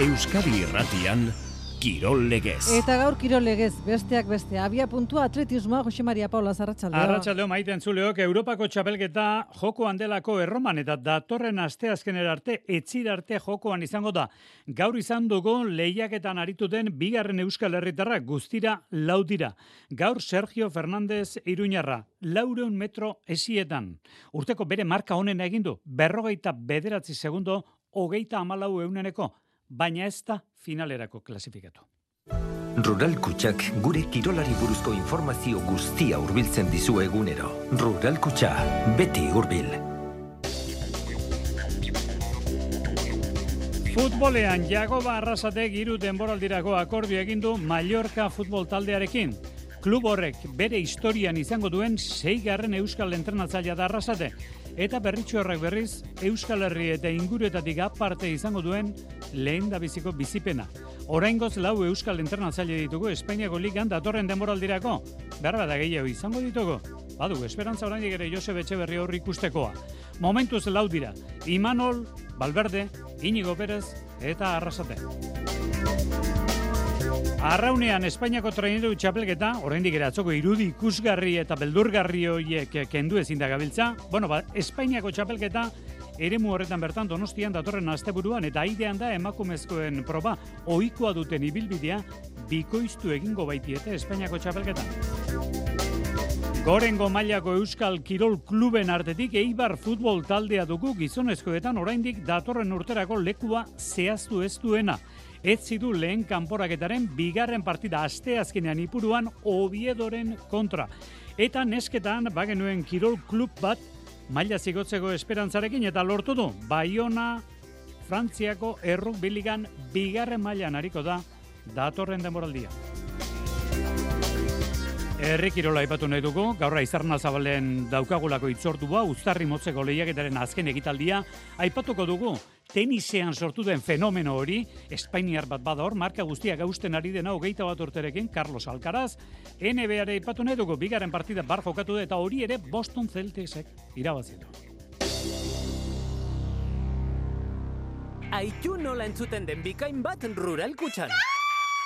Euskadi Irratian, Kirol Legez. Eta gaur Kirol Legez, besteak beste, abia puntua atletismoa, Jose Maria Paula, arratsaldeo. Arratsaldeo maite entzuleok, Europako txapelketa jokoan delako erroman eta datorren asteazkenera arte, etzira arte jokoan izango da. Gaur izan dugu lehiaketan arituten bigarren Euskal Herritarrak guztira 4 dira. Gaur Sergio Fernández Iruñarra, 400 metro esietan. Urteko bere marka honen egin du, 49 segundo, 34 euneneko. Baina ez da finalerako klasifikatu. Rural Kutxak gure kirolari buruzko informazio guztia hurbiltzen dizu egunero. Rural Kutxa, beti hurbil. Futbolean Jagoba Arrasatek 3 denboraldirako akordio egin du Mallorca futbol taldearekin. Klub horrek bere historian izango duen 6. euskal entrenatzailea da Arrasate. Eta berritxu horrek berriz, Euskal Herri eta inguruetatik aparte izango duen lehendabiziko bizipena. Oraingoz 4 euskal entrenatzaile ditugu Espainiako ligan datorren denboraldirako. Beharbada gehiago izango ditugu. Badu, esperantza oraindik ere Josep Etxeberri horri ikustekoa. Momentuz 4 dira. Imanol, Valverde, Íñigo Pérez eta Arrasate. Arraunean Espainiako traineru txapelketa, oraindik ere atzoko irudi ikusgarri eta beldurgarri horiek kendu ezin da gabiltza. Espainiako txapelketa eremu horretan bertan Donostian datorren asteburuan eta aidean da emakumezkoen proba ohikoa duten ibilbidea bikoiztu egingo baitiete Espainiako txapelketa. Gorengo mailako Euskal Kirol Kluben artetik Eibar futbol taldea dugu gizonezkoetan oraindik datorren urterako lekua zehaztu ez duena. Ez du lehen kanporaketaren bigarren partida asteazkenean Ipuruan Oviedoren kontra. Eta nesketan bagenuen Kirol Klub bat maila zigotzeko esperantzarekin eta lortu du. Baiona Frantziako errugbi ligan bigarren mailan ariko da datorren denboraldia. Herri kirola aipatu nahi dugu, gaur Aizarna Zabalen daukagulako hitzordua, uztarri motzeko lehiaketaren azken ekitaldia, aipatuko dugu, tenisean sortu den fenomeno hori, espainiar bat bada hor, marka guztiak hausten ari dena 21 urterekin, Carlos Alcaraz, NBA-re aipatu nahi dugu, bigarren partida bar jokatu da, eta hori ere Boston Celticsek irabazi du. Aitu nola entzuten den bikain bat Rural Kutxan.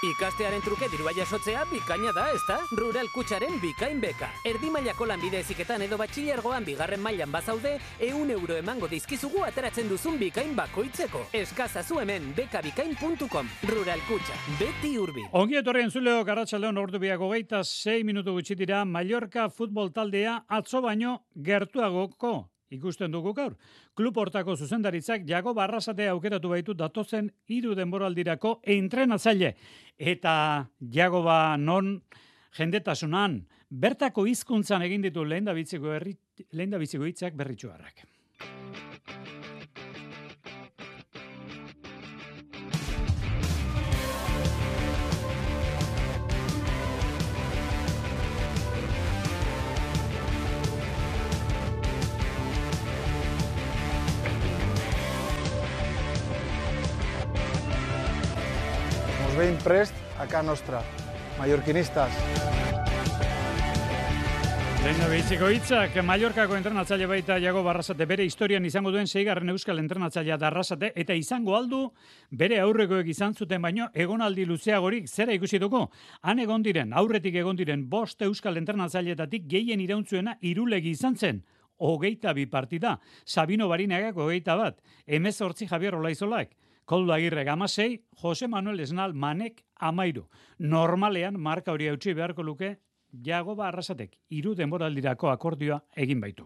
Ikastearen truke dirua jasotzea bikaina da, ezta? Rural Kutxaren bikain beka. Erdi mailako lanbide heziketan edo batxilergoan bigarren mailan bazaude, 100 euro emango dizkizugu ateratzen duzun bikain bakoitzeko. Eskazazu hemen bekabikain.com. Rural Kutxa, beti hurbil. Ongi etorri entzuleok, arratsaldeon ordu biak 26 minutu gutxi dira, Mallorca futbol taldea atzo baino gertuagoko ikusten dugu gaur. Klub hortako zuzendaritzak Jagoba Arrasatea aukeratu baitu datozen 3 denboraldirako entrenatzaile. Eta Jagoba non jendetasunan bertako hizkuntzan egin ditu lehendabiziko hitzak berritxuarrak. Ben prest a casa nostra, mallorquinistas. Lehendabiziko hitzak, Mallorcako entrenatzaile baita Jagoba Arrasate bere historian izango duen 6. euskal entrenatzailea da Arrasate eta izango aldu bere aurrekoek izan zuten baino egonaldi luzeagorik zera ikusi dugu. Han aurretik egon diren 5 euskal entrenatzaileetatik gehien iraunzuena Irulegi izan zen. 22 partida, Sabino Barinagak 21, 18 Javier Olaizolak, Koldo Agirrek 16, Jose Manuel Esnal Manek 13. Normalean marka hori hautsi beharko luke Jagoba Arrasatek 3 denboraldirako akordioa egin baitu.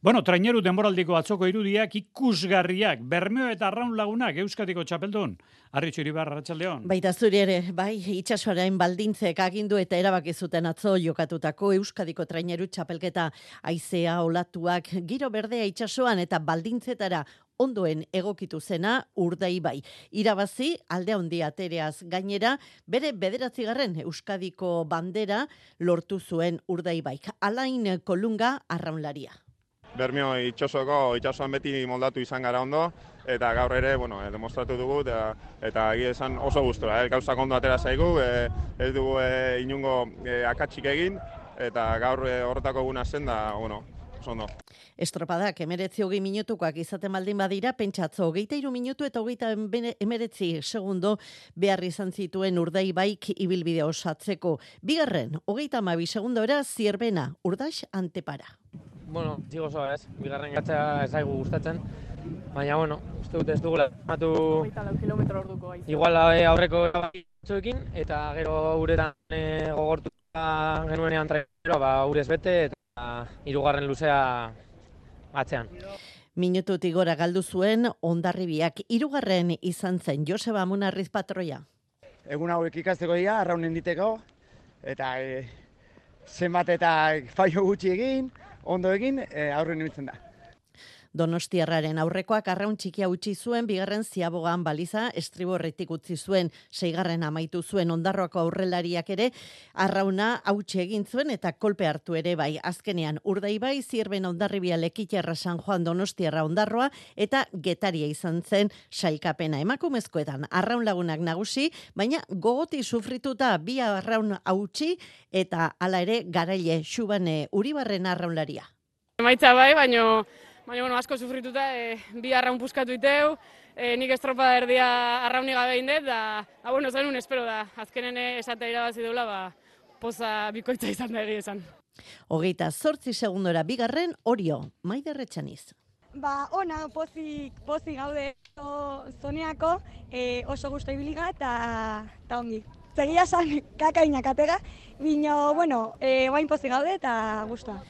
Traineru denboraldiko atzoko irudiak ikusgarriak, Bermeo eta Arraun lagunak Euskadiko txapeldun. Arritxu Iribar, arratsaldeon. Baita zuri ere, bai, itsasoaren baldintzek agindu eta erabaki zuten atzo jokatutako Euskadiko traineru txapelketa, haizea, olatuak, giro berdea itsasoan eta baldintzetara ondoen egokitu zena Urdai bai. Irabazi alde handia atereaz gainera, bere 9. Euskadiko bandera lortu zuen Urdai bai. Alain Kolunga arraunlaria. Bermeo itsasoan beti moldatu izan gara ondo, eta gaur ere, demostratu dugu, eta egia esan oso gustora. Gauzak ondo atera zaigu, ez dugu inungo akatsik egin, eta gaur horretako eguna zen da, oso ondo. Estropadak 19 minutukoak izaten baldin badira, pentsatzo 23 minutu eta 19 segundo behar izan zituen Urdaibaik ibilbide osatzeko. Bigarren, 32 segundora Zierbena, Urdax Antepara. Bueno, txigo osoa ez, bigarren gatza ez zaigu gustatzen, baina bueno, uste dut ez dugula matu kilometro orduko gaiz. Igual aurreko batzuekin eta gero uretan gogortu genuenean trailera, urez bete eta hirugarren luzea atzean. Minututik gora galdu zuen Hondarribiak, hirugarren izan zen Joseba Munarriz patroia. Egun hauek ikasteko dira, arraunen diteko, eta zenbat eta fallo gutxi egin, ondo egin, aurren ibiltzen da. Donostiarraren aurrekoak arraun txikia utzi zuen, bigarren Ziabogan baliza estriborretik utzi zuen, seigarren amaitu zuen Ondarroako aurrelariak ere, arrauna hautsi egin zuen eta kolpe hartu ere bai. Azkenean Urdaibai, Zierbena, Hondarribia, Lekitarra, San Juan, Donostiarra, Ondarroa eta Getaria izan zen sailkapena. Emakumezkoetan arraun lagunak nagusi, baina gogoti sufrituta bi arraun hautsi eta hala ere Garaile Xubane Uribarren arraunlaria. Emaitza bai, baina asko sufrituta, bi arraun puskatu iteu, nik estropada erdia arraunik gabe indet, da bueno, zenun espero da, azkenen esatea irabazi deula, poza bikoitza izan da egia esan. 28 segundora bigarren Orio, Maider Etxaniz. Ona, pozik gaude zoneako, oso gustu ibiliga eta ongi. Zegia san kakainak atega, bino, bueno, guain pozik gaude eta gustua.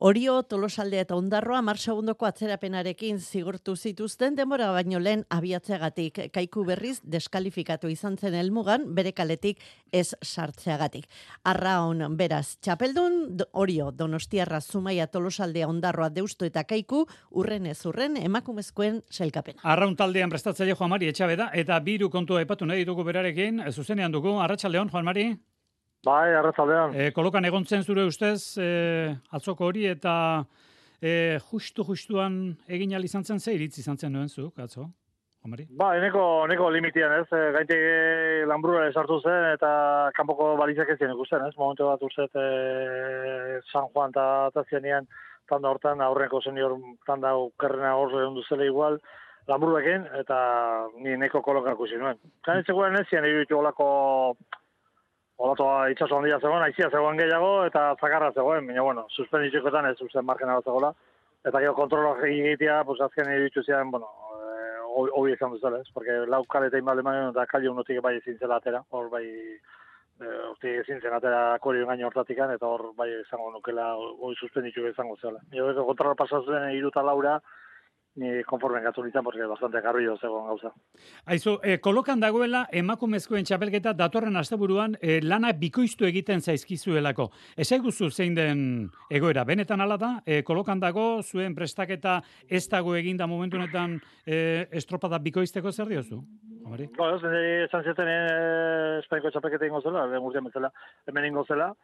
Orio, Tolosaldea eta Ondarroa 10 segundoko atzerapenarekin zigortu zituzten denbora baino lehen abiatzeagatik. Kaiku berriz deskalifikatu izan zen helmugan bere kaletik ez sartzeagatik. Arraun beraz txapeldun, Orio, Donostiarra, Zumaia, Tolosaldea, Ondarroa, Deusto eta Kaiku urren ez urren emakumezkoen sailkapena. Arraun taldean prestatzaile Juan Mari Etxabeda eta biru kontua aipatu nahi ditugu berarekin, zuzenean dugu, Arratsaldeon Juan Mari. Bai, arratsaldean. Kolokan egontzen zure ustez, atzoko hori eta justuan egin ahal izan zen, ze iritzi izan zen nuen zuk, atzo, Omari? Bai, neko limitian ez, gaiteke lanbrura esartu zen eta kanpoko balizak ez zien ikusten ez, momentu bat urzet San Juan eta zianean tanda hortan, aurreneko senior tanda okerrena horre ondu zela igual, lanbruekin eta ni neko kolokan ikusi nuen. Kanetzekoen ez zien egitu Olatoa itxaso handia zegoen, aizia zegoen gehiago eta zakarra zegoen, baina bueno, suspenditxekoetan ez usten margena bat zegoela. Eta gero kontrolak egitea, pues azken iritsu zian, bueno, hobi izan duzela, ez? Porque lau kaletein balde manen eta kalli unotik bai ezin zela atera, hor bai, ezin zen atera korio gaino hortatikan, eta hor bai izango nukela, hori suspenditxu izango zela. Gero kontrola pasazuen 3 eta 4, ni konformen gatu nintzen, porque bastante garbi zegoen gauza. Aizu, kolokan dagoela emakumezkoen txapelketa datorren asteburuan lana bikoiztu egiten zaizkizuelako. Ezaiguzu zein den egoera, benetan hala da, kolokan dago, zuen prestaketa ez dago eginda momentu honetan estropada bikoizteko zer diozu? Homari? Esan zeten Espainiko txapelketa ingo zela, lehen urtean betzela, hemen ingo zela,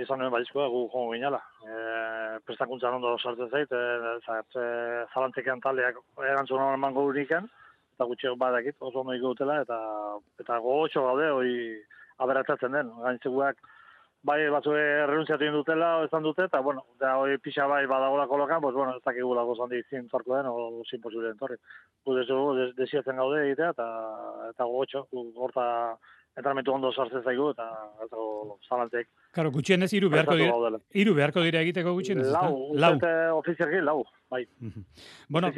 izan nuen balizkoa gu jongo ginala. Prestakuntzan ondo sartzen zait, zalantzekean taldeak erantzun honen emango uniken, eta gutxeo badakit, oso ondo ikutela, eta gogotxo gaude, hori aberatatzen den. Gainitzeguak bai batzue renuntziatu indutela, ezan dute, eta bueno, hori pixa bai badagola kolokan, pues bueno, ez dakigula gozandi zintzorko den, o sin posible entorri. Desiatzen gaude egitea, eta gogotxo, horta entramentu ondo sartzen zaigu, eta zalantzek. Karo, gutxienez hiru beharko dira egiteko gutxienez. Lau. Ofizialki lau, bai. Bueno,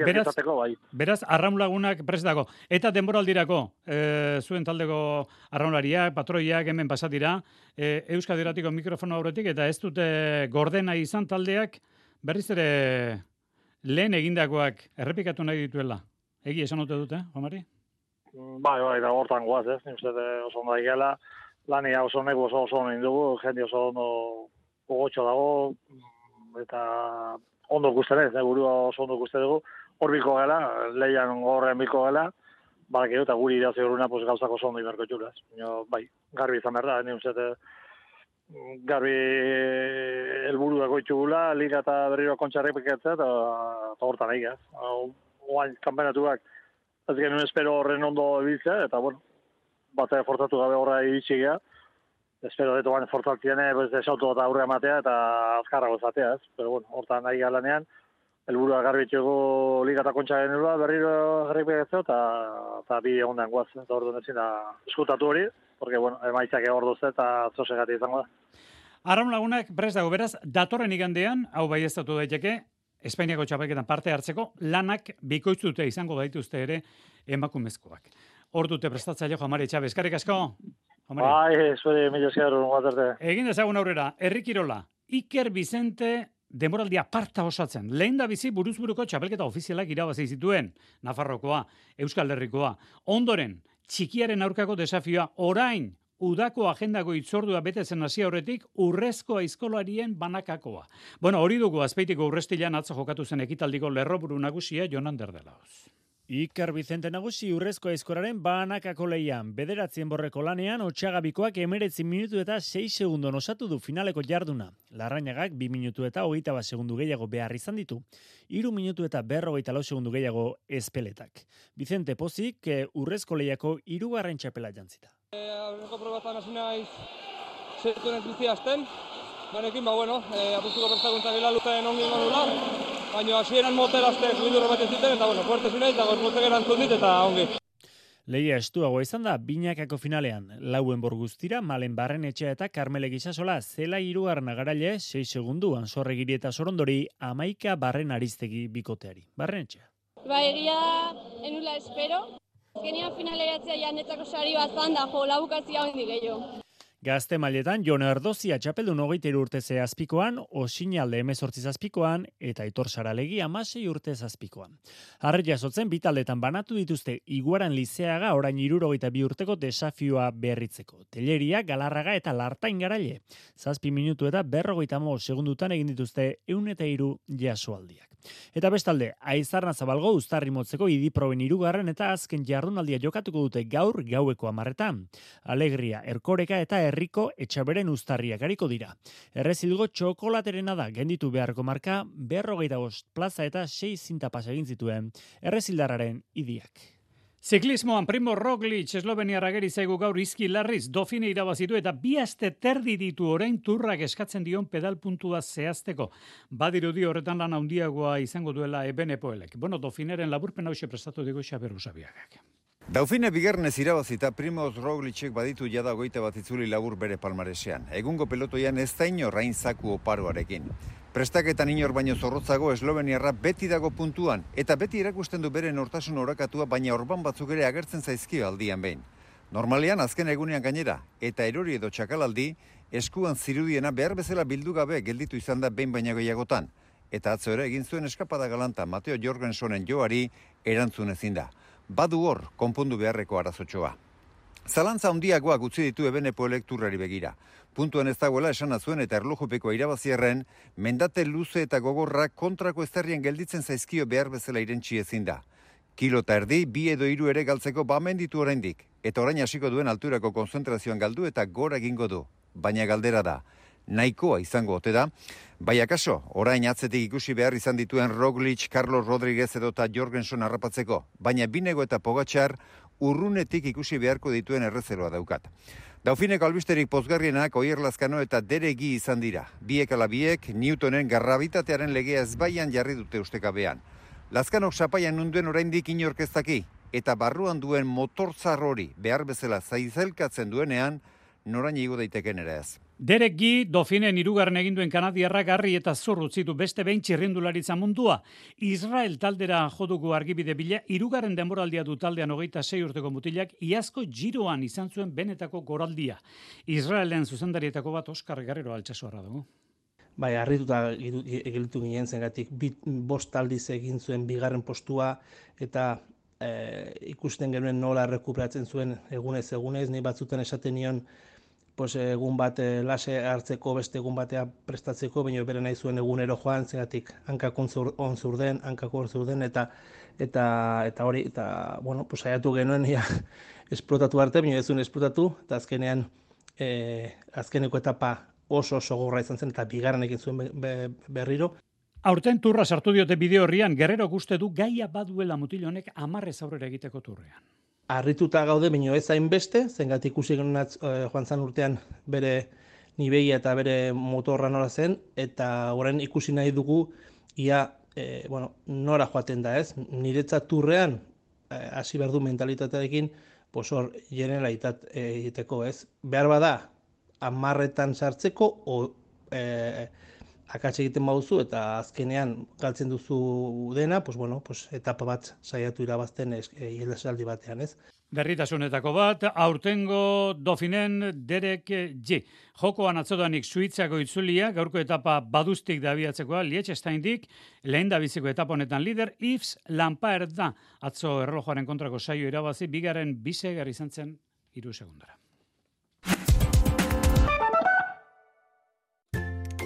beraz, arraun lagunak prest dago. Eta denboraldirako, zuen taldeko arraunlariak, patroiak hemen pasatira, Euskadi Irratiko mikrofono aurretik, eta ez dute gordena izan taldeak, berriz ere lehen egindakoak errepikatu nahi dituela. Egi esan dute, Omari? Bai, da hortan goaz, ez? Ni uste oso ondo daigela, lania oso nego oso ondo indugu, jende oso ondo gogotxo dago, eta ondo ikusten ez, burua oso ondo ikusten dugu, hor biko gela, leian gorrean biko gela, badakio, eta guri irazi horuna pues, gauzako oso ondo iberko txula, ez? Bai, garbi izan behar da, ni uste garbi helburu dago itxugula, liga eta berriro kontxarrik pekatzea, eta hortan nahi, ez? Oain kanpenatuak, ez genuen espero horren ondo ebiltzea, eta bueno, bat forzatu gabe horra iritsi gea, espero dut oan fortzaltziene, desautu eta aurre matea eta azkarrago zatea, ez? Pero bueno, hortan nahi galanean, helburua garbitxego liga eta kontxa genurua, berriro garrik begetzeo, eta bi egun den guaz, eta orduan ezin da eskutatu hori, porque, bueno, emaitzak egor duzte eta zosegati izango da. Arraun lagunak prest dago, beraz, datorren igandean, hau baieztatu daiteke, Espainiako txapelketan parte hartzeko, lanak bikoitzute izango baituzte ere emakumezkoak. Hor dute prestatzaile Juan-Mari Etxabe, eskerrik asko. Bai, zure mila esker, guaterte. Egin dezagun aurrera, Herri Kirola, Iker Bizente denboraldia parta osatzen. Lehen da bizi buruzburuko txapelketa ofizialak irabazi zituen, Nafarrokoa, Euskal Herrikoa. Ondoren, txikiaren aurkako desafioa, orain, udako agendako itzordua betetzen hasi aurretik urrezko aizkolarien banakakoa. Bueno, hori dugu Azpeitiko Urrestilan atzo jokatu zen ekitaldiko lerroburu nagusia Jonan Derdelaoz. Iker Bizente nagusi urrezko aizkoraren banakako lehian. 9 borreko lanean, Otxagabikoak 19 minutu eta 6 segundon osatu du finaleko jarduna. Larrañagak 2 minutu eta 21 segundu gehiago behar izan ditu. 3 minutu eta 44 segundu gehiago ezpeletak. Bizente pozik urrezko lehiako 3. txapela jantzita. Aurreko probatan hasi naiz zertu nez bizi hasten. Banekin, apustuko prestakuntza gila luten ongi nula. Baina hasieran moterazte fluidurro bat ziten eta fuerte zinaiz, eta gorputzek erantzun dit eta ongi. Lehia estuago izan da, binakako finalean. Lauen borguztira, Malen Barrenetxea eta Karmele Gisasola zela 3. garaile 6 segundu, Ansorregiri eta Sorondori 11 Barren Aristegi bikoteari. Barrenetxea. Egia enula espero. Azkenean finaleratzea janetzako sari bat zan da, labukazia hondi gehiago. Gazte mailetan, Jon Erdozia txapeldun 23 urte zazpikoan, Osinalde 18 zazpikoan, eta Aitor Saralegi 16 urte zazpikoan. Harri jasotzen, bitaldetan banatu dituzte Iguaran Lizeaga orain 62 urteko desafioa berritzeko. Telleria, Galarraga eta Lartain Garaile. 7 minutu eta 45 segundutan egin dituzte 103 jasoaldiak. Eta bestalde, Aizarna Zabalgo Uztarri motzeko Idiproben 3. eta azken jardunaldia jokatuko dute gaur gaueko 10:00. Alegria, Erkoreka eta Herriko Etxaberen Uztarriak ariko dira. Errezilgo txokolaterena da, genditu beharko marka 45 plaza eta 6 zinta pasa egin zituen errezildarraren idiak. Ziklismoan Primo Roglic esloveniarra geri zaigu gaur izki larriz Dofine irabazitu eta 2 aste terdi ditu orain turrak eskatzen dion pedal puntua zehazteko. Badirudi horretan lan handiagoa izango duela Ebenepoelek. Bueno, Dofineren laburpen hauxe prestatu digu Xaber Usabiagak. Dauphin bigarrenez irabazita Primoz Roglicek baditu jada 21 itzuli labur bere palmaresean. Egungo pelotoian ez da inorrain zaku oparoarekin. Prestaketan inor baino zorrotzago esloveniarra beti dago puntuan, eta beti erakusten du bere nortasun orakatua, baina orban batzuk ere agertzen zaizkio aldian behin. Normalean azken egunean gainera, eta erori edo txakalaldi, eskuan zirudiena behar bezala bildu gabe gelditu izan da behin baina gehiagotan. Eta atzo ere egin zuen eskapada galanta Mateo Jorgensonen joari erantzun ezin da. Badu hor, konpondu beharreko arazotxoa. Zalantza handiagoak utzi ditu Ebenepoelek turrari begira. Puntuan ez dagoela esana zuen eta erlojupeko irabazierren, mendate luze eta gogorra kontrako eztarrian gelditzen zaizkio behar bezala irentsi ezin da. Kilo eta erdi, 2 edo 3 ere galtzeko bamenditu oraindik, eta orain hasiko duen alturako konzentrazioan galdu eta gora egingo du. Baina galdera da, nahikoa izango ote da, bai akaso, orain atzetik ikusi behar izan dituen Roglic, Carlos Rodriguez edota Jorgenson harrapatzeko, baina Binego eta Pogačar urrunetik ikusi beharko dituen errezeroa daukat. Daufineko albisterik pozgarrienak Oier Lazkano eta Deregi izan dira. Biek ala biek, Newtonen garrabitatearen legea ezbaian jarri dute ustekabean. Lazkanok sapaian nunduen oraindik inorkeztaki, eta barruan duen motorzar hori behar bezala zaizelkatzen duenean, norain igo daiteken ere ez. Derek Gi, Dofinen 3. eginduen kanadiarrak garri eta zor utzitu beste behin txirrindularitza mundua. Israel taldera joduko argibide bila, 3. denboraldia du taldean 26 urteko mutilak, iazko giroan izan zuen benetako goraldia. Israelen zuzendarietako bat Oskar Guerrero Altsasoarra dugu. Bai, harrituta egilitu ginen zengatik, 5 aldiz egin zuen 2. postua, eta ikusten genuen nola rekuperatzen zuen egunez, ni batzuten esaten nion, egun bat lase hartzeko, beste egun batea prestatzeko, baina bere nahi zuen egunero joan, zegatik hankak on zurden, eta hori, saiatu genuen esplotatu arte, baina ez zuen esplotatu, eta azkenean azkeneko etapa oso gogorra izan zen, eta 2. egin zuen berriro. Aurten turra sartu diote bideo horrian, Guerrero uste du gaia baduela mutil honek 10 aurrera egiteko turrean. harrituta gaude, baino ez hainbeste, zengatik ikusi genuen joan zan urtean bere nibeia eta bere motorra nola zen, eta orain ikusi nahi dugu ia nora joaten da, ez? Niretzat turrean hasi behar du mentalitatearekin, hor generalitat egiteko, ez? Behar bada, 10etan sartzeko, akats egiten baduzu eta azkenean galtzen duzu dena, etapa bat saiatu irabazten ihesaldi batean, ez? Berritasunetako bat, aurtengo Dauphinen Derek G. Jokoan atzodanik Suitzako itzulia, gaurko etapa baduztik da abiatzekoa, Liechtensteindik, lehen da biziko etapa honetan lider, Yves Lampaert da. Atzo erlojoaren kontrako saio irabazi, bigarren bisegar izan zen 3 segundara.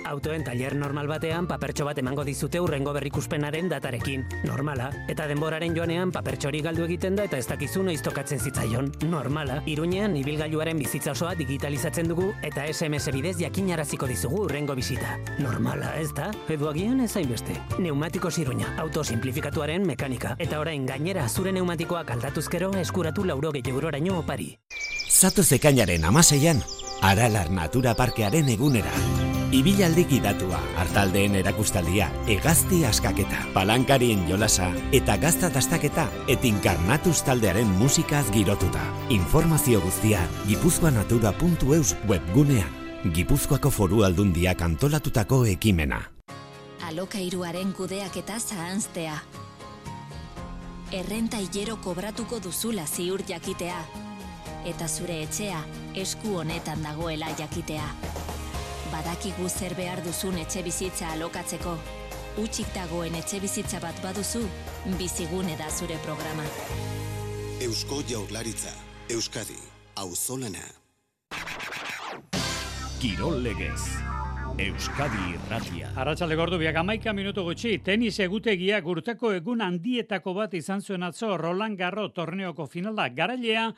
Autoen tailer normal batean papertxo bat emango dizute hurrengo berrikuspenaren datarekin. Normala. Eta denboraren joanean papertxori galdu egiten da eta ez dakizu noiz tokatzen zitzaion. Normala. Iruñean ibilgailuaren bizitza osoa digitalizatzen dugu eta SMS bidez jakinaraziko dizugu hurrengo bisita. Normala, ez da? Edo agian ez hainbeste. Neumatikos Iruña. Auto simplifikatuaren mekanika. Eta orain gainera zure neumatikoak aldatuzkero eskuratu 80 euroraino opari. Zatoz ekainaren 16an, Aralar Natura Parkearen egunera. Ibilaldi gidatua, hartaldeen erakustaldia, hegazti askaketa, palankarien jolasa eta gazta dastaketa etinkarnatuz taldearen musikaz girotuta. Informazio guztia gipuzkoanatura.eus webgunean. Gipuzkoako Foru Aldundiak antolatutako ekimena. Alokairuaren kudeaketa zahanztea. Errenta hilero kobratuko duzula ziur jakitea. Eta zure etxea esku honetan dagoela jakitea. Badakigu zer behar duzun etxe bizitza alokatzeko. Hutsik dagoen etxe bizitza bat baduzu, Bizigune da zure programa. Eusko Jaurlaritza, Euskadi, auzolana. Kirol Legez, Euskadi Irratia. Arratsalde gordu biak 11 minutu gutxi, tenis egutegiak urteko egun handietako bat izan zuen atzo Roland Garros torneoko finala. Garailea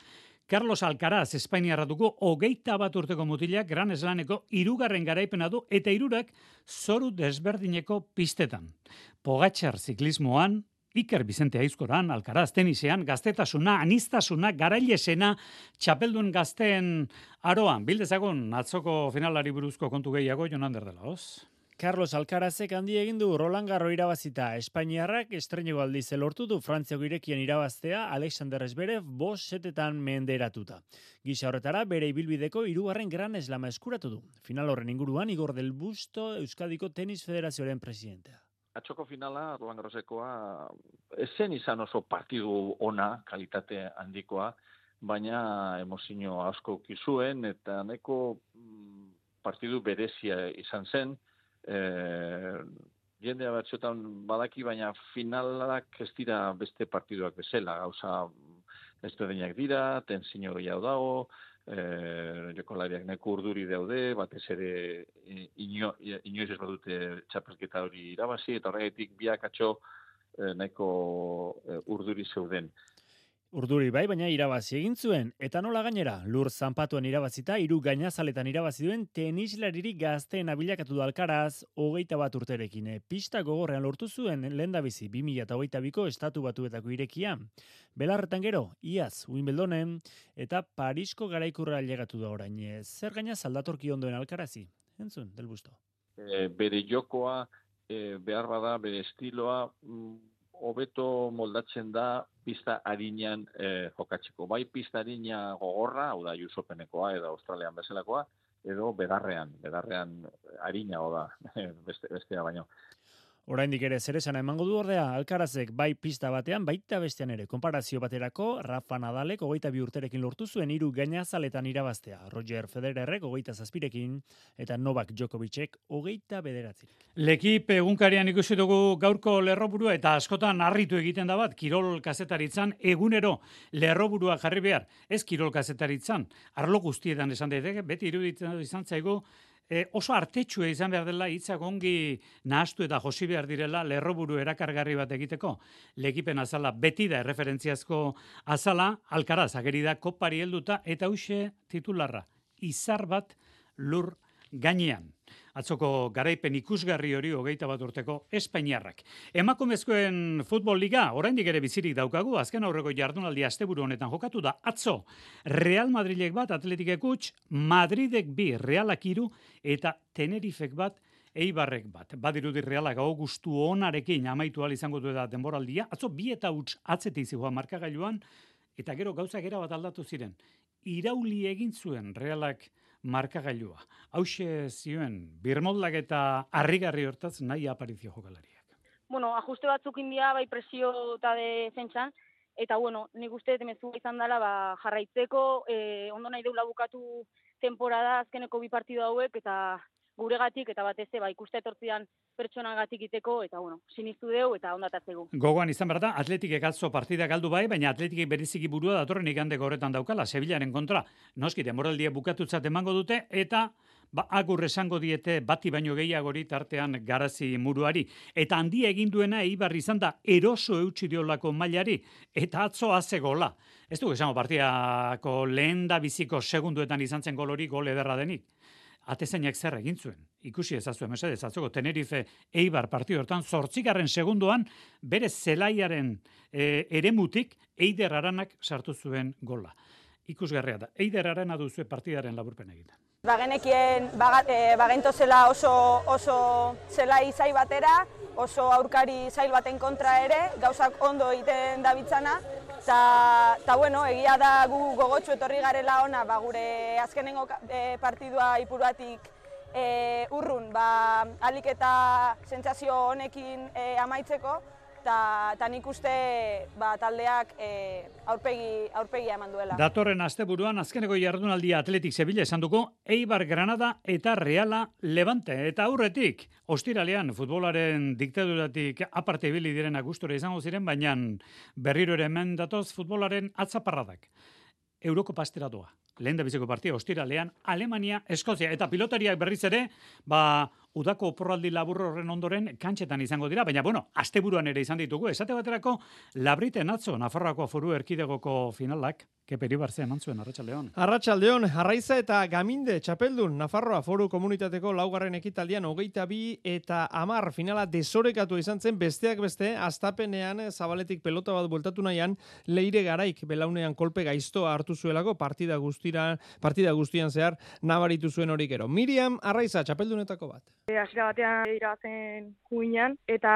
Carlos Alcaraz Espainiarra dugu 21 urteko mutilak Grand Slameko 3. garaipena du eta 3 zoru desberdineko pistetan. Pogačar ziklismoan, Iker Bizente Aizkoran, Alcaraz tenisean, gaztetasuna, aniztasuna, garailesena, txapeldun gazteen aroan. Bildezagun atzoko finalari buruzko kontu gehiago, Jon Ander dela, hoz? Carlos Alcarazek handi egin du Roland Garros irabazita. Espainiarrak estreineko aldiz lortu du Frantziako irekian irabaztea Alexander Zverev 5 setetan menderatuta. Gisa horretara bere ibilbideko 3. Grand Slama eskuratu du. Final horren inguruan Igor del Busto, Euskadiko Tenis Federazioaren presidentea. Atxoko finala Roland Garrosekoa esen izan oso partidu ona, kalitate handikoa, baina emozio asko kizuen eta neko partidu berezia izan zen. Jendea batxotan badaki, baina finalak ez dira beste partiduak bezala, gauza ezberdinak dira, tensio gehiago dago, jokolariak neko urduri daude, batez ere inoiz ez badute txapelketa hori irabazi, eta horregatik biak atxo neko urduri zeuden. Urduri bai, baina irabazi egin zuen. Eta nola gainera, lur zanpatuan irabazita, 3 gainazaletan irabazi duen tenislariri gazteen abilakatu du Alcaraz 21 urterekin. Pista gogorrean lortu zuen lehendabizi 2022ko Estatu Batuetako irekia. Belarretan gero, iaz Wimbledonen eta Parisko garaikurra ailegatu da orain. Zer gainaz aldatorki ondoen Alcarazi? Entzun, Del Busto. Bere jokoa, behar bada, bere estiloa, hobeto moldatzen da pista arinean jokatzeko. Bai pista arina gogorra, hau da Jusopenekoa edo Australian bezalakoa, edo bedarrean arinago da bestea baino. Oraindik ere zer esana emango du ordea, Alcarazek bai pista batean, baita bestean ere. Konparazio baterako, Rafa Nadalek 22 urterekin lortu zuen 3 gainazaletan irabaztea. Roger Federerrek 27rekin eta Novak Djokovicek 29. Lekip egunkarian ikusi dugu gaurko lerroburua eta askotan harritu egiten da bat, kirol kazetaritzan egunero lerroburua jarri behar. Ez kirol kazetaritzan, arlo guztietan esan daiteke, beti iruditzen izan zaigu, oso artetsua izan behar dela hitzak ongi nahastu eta josi behar direla lerroburu erakargarri bat egiteko. Lekipen azala beti da erreferentziazko azala, Alcaraz ageri da kopari helduta eta huxe titularra, izar bat lur gainean. atzoko garaipen ikusgarri hori 21 urteko Espainiarrak. Emakumezkoen futbol liga oraindik ere bizirik daukagu, azken aurreko jardunaldi asteburu honetan jokatu da atzo Real Madrilek bat, Atletikek huts, Madridek 2, Realak 3 eta Tenerifek bat, Eibarrek bat. Badirudi Realak hau gustu onarekin amaitu ahal izango du da denboraldia. Atzo 2 eta huts atzetik zihoan markagailuan, eta gero gauzak era bat aldatu ziren. Irauli egin zuen Realak markagailua. Hauxe zioen, birmoldak eta harrigarri hortaz nahi aparizio jokalariak. Bueno, ajuste batzuk india, bai presio eta defentsan, eta bueno, nik uste temezua izan dela jarraitzeko, ondo nahi deula bukatu temporada azkeneko 2 partidu hauek, eta guregatik eta batez ikuste etortzian pertsonagatik iteko, eta bueno, sinistu deu eta ondatatzegu. Gogoan izan behar da, Atletikek atzo partida galdu bai, baina Atletikek bereziki burua datorren igandeko horretan daukala, Sevillaren kontra. Noski, denboraldia bukatutzat emango dute, eta agur esango diete bati baino gehiagori tartean Garazi muruari. Eta handia egin duena Eibar izan da eroso eutsi diolako mailari, eta atzo haze gola. Ez du esango partidako lehen da biziko segunduetan izan zen golori gol ederra denik. Atezainak zer egin zuen. Ikusi ezazuen mesedez, atzoko Tenerife Eibar partidu hortan 8. segundoan bere zelaiaren eremutik Eider Aranak sartu zuen gola. Ikusgarria da. Eider Arana duzue partidaren laburpen egiten. Bagenekien bagento zela oso zelai zail batera, oso aurkari zail baten kontra ere, gauzak ondo egiten dabitzana. Eta bueno, egia da gu gogotsu etorri garela ona, gure azkenengo partidua Ipuruatik urrun, alik eta sentsazio honekin amaitzeko, eta nik uste taldeak aurpegia eman duela. Datorren asteburuan azkeneko jardunaldia Atletik Sevilla esan dugu, Eibar Granada eta Reala Levante. Eta aurretik, ostiralean futbolaren diktaduratik aparte ibili direnak gustora izango ziren, baina berriro ere hemen datoz futbolaren atzaparradak. Eurokopa astera doa. Lehen da biziko partia ostiralean Alemania, Eskozia eta pilotariak berriz ere, udako oporraldi labur horren ondoren kantxetan izango dira, baina asteburuan ere izan ditugu. Esate baterako Labriten atzo Nafarroako Foru Erkidegoko finalak, Kepe Iribarze eman zuen, Arratsaldeon. Arratsaldeon, Arraiza eta Gaminde txapeldun Nafarroa Foru Komunitateko 4. ekitaldian 22 eta 10 finala desorekatu izan zen, besteak beste, astapenean zabaletik pelota bat bueltatu nahian, Leire Garaik belaunean kolpe gaiztoa hartu zuelako partida guztian zehar nabaritu zuen hori gero. Miriam Arraiza txapeldunetako bat. Hasiera batean irabazen juinan, eta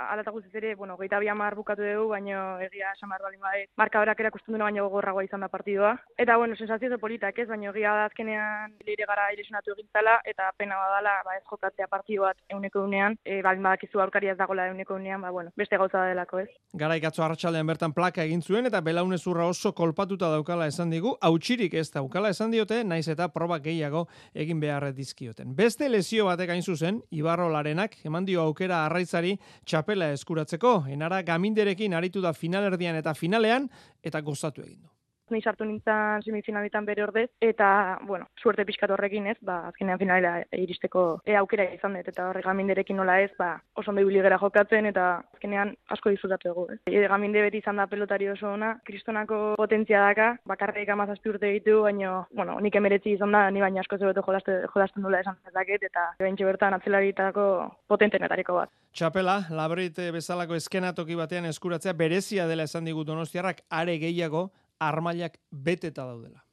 alata guztiz ere, 22 bukatu dugu, baina egia esan behar balin badet, markadorak erakusten duena baina gogorragoa izan da partidua. Eta sensazio politak ez, baina egia da azkenean Leire Gara ilesionatu egintzala, eta pena badala ez jokatzea partidu bat 100%, balin badakizu aurkaria ez dagoela 100%, beste gauza da delako ez. Garaik atzo arratsaldean bertan plaka egin zuen, eta belaunezurra oso kolpatuta daukala esan digu, hautsirik ez daukala esan diote, naiz eta proba gehiago egin behar dizkioten. Beste lesio batek hain zuzen, Ibarrolarenak eman dio aukera Arraizari txapela eskuratzeko. Enara Gaminderekin aritu da finalerdian eta finalean, eta gozatu egin du. Ni sartu nintzen semifinaletan bere ordez, eta, suerte pixkat horrekin ez, azkenean finalera iristeko aukera izan dut, eta horre Gaminderekin nola ez, oso ondo ibili gera jokatzen, eta azkenean asko disfrutatu dugu. Gaminde beti izan da pelotari oso ona, kristonako potentzia daka, bakarrik 17 urte ditu, baina, nik emeretzi izan da, ni baina asko zebeto jolasten dula esan dezaket, eta bentsi bertan atzelaritako potentenetariko bat. Txapela, Labrit bezalako eskenatoki batean eskuratzea berezia dela esan digu Donostiarrak, are gehiago armailak beteta daudela.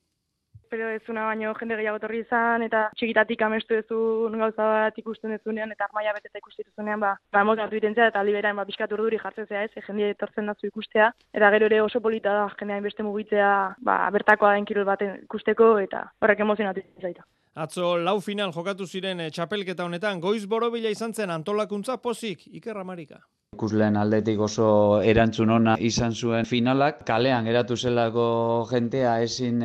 Pero ez una baino jende gehiago torri izan, eta txikitatik amestu duzun gauza bat ikusten duzunean, eta armaila beteta ikusten duzunean, emozionatu itentzea, eta liberaen pixkat urduri jartzen zea ez, jende etortzen dazu ikustea, eta gero ere oso polita da, jendean beste mugitzea, bertakoa den kirol baten ikusteko, eta horrek emozionatu zaita. Atzo lau final jokatu ziren txapelketa honetan, goiz borobila izan zen antolakuntza pozik, Iker Amarika. Ikusleen aldetik oso erantzun ona izan zuen finalak, kalean geratu zelako jentea ezin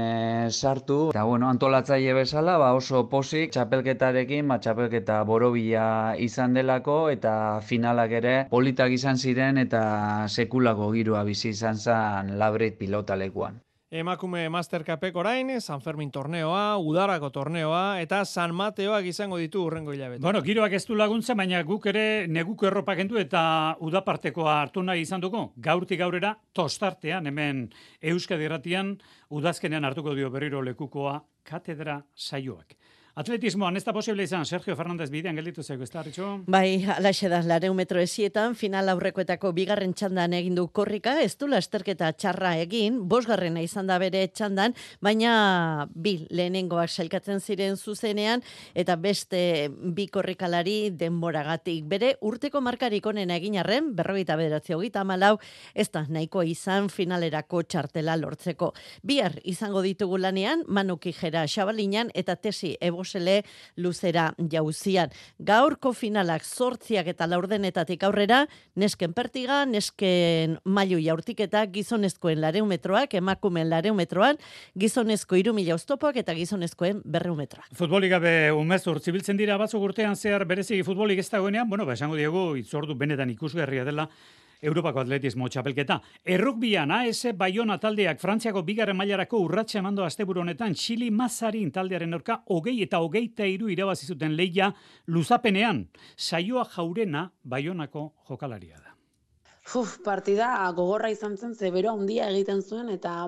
sartu, eta antolatzaile bezala oso pozik txapelketarekin, txapelketa borobila izan delako, eta finalak ere politak izan ziren eta sekulako giroa bizi izan zen Labrit pilotalekuan. Emakume Mastercupek orain, San Fermin torneoa, Udarako torneoa, eta San Mateoak izango ditu urrengo hilabete. Giroak ez du laguntza, baina guk ere neguko erropa kendu eta udapartekoa hartu nahi izan dugu. Gaurtik gaurera, tostartean, hemen Euskadi Irratian, udazkenean hartuko dio berriro lekukoa katedra saioak. Atletismoan ez da posible izan, Sergio Fernández bidean gelditu zaigu, ez da, Arritxo? Bai, alaxe da, 200 metro esietan, final aurrekoetako bigarren txandan egin du korrika, ez du lasterketa txarra egin, 5. izan da bere txandan, baina bi lehenengoak sailkatzen ziren zuzenean, eta beste bi korrikalari denboragatik. Bere urteko markarik onena egin arren, 49-34, ez da nahiko izan finalerako txartela lortzeko. Bihar izango ditugu lanean, Manu Kijera Xabalinan, eta Tesi Ebosele luzera jauzian. Gaurko finalak 8 eta 4 aurrera, nesken pertiga, nesken mailu jaurtiketa, gizonezkoen 200 metroak, emakumeen 200 metroan, gizonezko 3000 oztopoak eta gizonezkoen 200 metroak. Futbolik gabe umezur zibiltzen dira batzuk urtean zehar bereziki futbolik ez dagoenean, esango diegu itzordu benetan ikusgarria dela Europako atletismo txapelketa. Errukbian AS Bayona taldeak Frantziako 2. mailarako urratsa emando asteburu honetan Txili Mazarin taldearen aurka 20 eta 23 irabazi zuten lehia luzapenean. Saioa Jaurena Bayonako jokalaria da. Partida gogorra izan zen, ze bero handia egiten zuen, eta,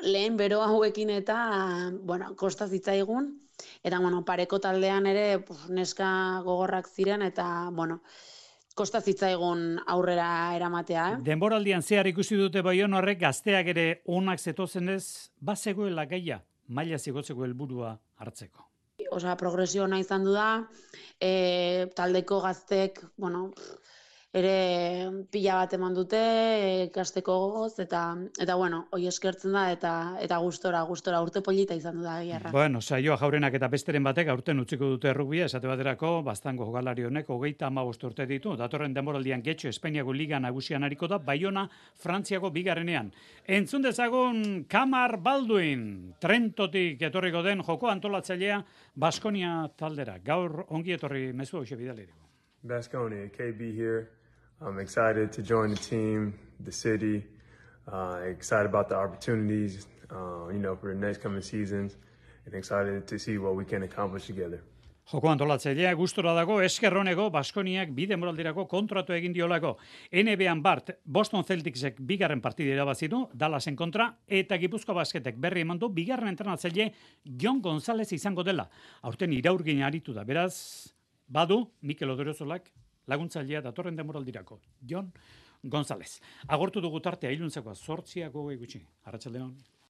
lehen bero hauekin eta, kosta zitzaigun, eta, pareko taldean ere, neska gogorrak ziren, eta, kosta zitzaigun aurrera eramatea. Denboraldian zehar ikusi dute Baiona horrek gazteak ere onak zetozenez, bazegoela gaia, maila zigotzeko helburua hartzeko. Progresio ona izan du da, taldeko gaztek, ere pila bat eman dute, ikasteko gogoz, eta hoi eskertzen da, eta gustora, urte polita izan du da egiarra. Saioa Jaurenak eta besteren batek aurten utziko dute errugbia, esate baterako, Baztango jokalari honek 35 urte ditu, datorren denboraldian Getxo Espainiako Liga nagusian ariko da, Baiona Frantziako 2. Entzun dezagun Kamar Balduin, Trentotik etorriko den joko antolatzailea Baskonia taldera. Gaur ongi etorri mezu hau bidaliriko. Baskonia, KB here. I'm excited to join the team, the city, excited about the opportunities, for the next coming seasons, and excited to see what we can accomplish together. Joko antolatzailea gustora dago, eskerroneko Baskoniak 2 denboraldirako kontratu egin diolako. NBA-an Boston Celticsek 2. partida irabazi du, Dallasen kontra, eta Gipuzkoa Basketek berri eman du 2. entrenatzaile Jon González izango dela. Aurten iraurgin aritu da, beraz, badu Mikel Odorozolak laguntzailea datorren denboraldirako, Jon González. Agortu dugu tartea iluntzekoa 8 gutxi. Arratsaldeon.